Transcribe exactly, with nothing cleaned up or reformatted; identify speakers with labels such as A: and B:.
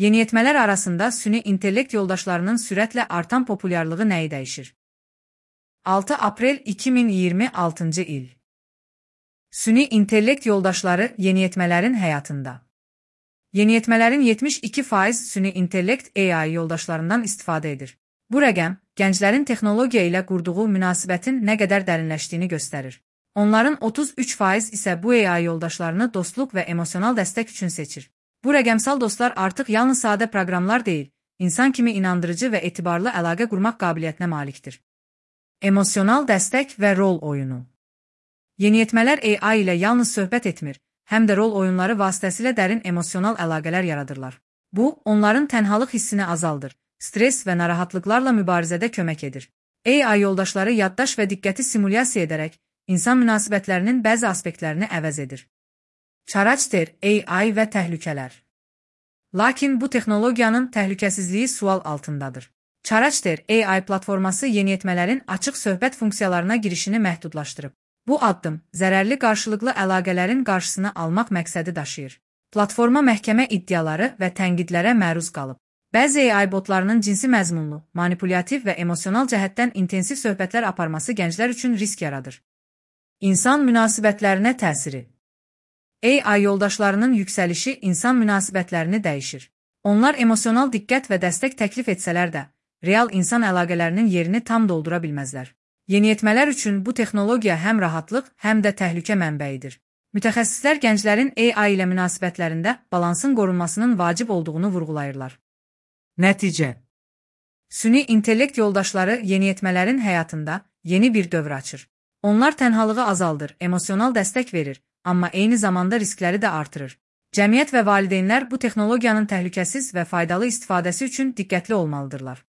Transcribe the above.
A: Yeniyetmələr arasında süni intellekt yoldaşlarının sürətlə artan populyarlığı nəyi dəyişir? altı aprel iki min iyirmi altıncı il. Süni intellekt yoldaşları yeniyetmələrin həyatında. Yeniyetmələrin yetmiş iki faiz süni intellekt A I yoldaşlarından istifadə edir. Bu rəqəm, gənclərin texnologiya ilə qurduğu münasibətin nə qədər dərinləşdiyini göstərir. Onların otuz üç faiz isə bu A I yoldaşlarını dostluq və emosional dəstək üçün seçir. Bu rəqəmsal dostlar artıq yalnız sadə proqramlar deyil, insan kimi inandırıcı və etibarlı əlaqə qurmaq qabiliyyətinə malikdir. Emosional dəstək və rol oyunu. Yeniyetmələr A I ilə yalnız söhbət etmir, həm də rol oyunları vasitəsilə dərin emosional əlaqələr yaradırlar. Bu, onların tənhalıq hissini azaldır, stres və narahatlıqlarla mübarizədə kömək edir. A I yoldaşları yaddaş və diqqəti simulyasiya edərək, insan münasibətlərinin bəzi aspektlərini əvəz edir. Çaraçter, A I və təhlükələr. Lakin bu texnologiyanın təhlükəsizliyi sual altındadır. Çaraçter A I platforması yeniyetmələrin açıq söhbət funksiyalarına girişini məhdudlaşdırıb. Bu addım, zərərli qarşılıqlı əlaqələrin qarşısını almaq məqsədi daşıyır. Platforma məhkəmə iddiaları və tənqidlərə məruz qalıb. Bəzi A I botlarının cinsi məzmunlu, manipulyativ və emosional cəhətdən intensiv söhbətlər aparması gənclər üçün risk yaradır. İnsan münasibətlərinə təsiri. A I yoldaşlarının yüksəlişi insan münasibətlərini dəyişir. Onlar emosional diqqət və dəstək təklif etsələr də, real insan əlaqələrinin yerini tam doldura bilməzlər. Yeniyetmələr üçün bu texnologiya həm rahatlıq, həm də təhlükə mənbəyidir. Mütəxəssislər gənclərin A I ilə münasibətlərində balansın qorunmasının vacib olduğunu vurğulayırlar. Nəticə. Süni intellekt yoldaşları yeniyetmələrin həyatında yeni bir dövr açır. Onlar tənhalığı azaldır, emosional dəstək verir, amma eyni zamanda riskləri də artırır. Cəmiyyət və valideynlər bu texnologiyanın təhlükəsiz və faydalı istifadəsi üçün diqqətli olmalıdırlar.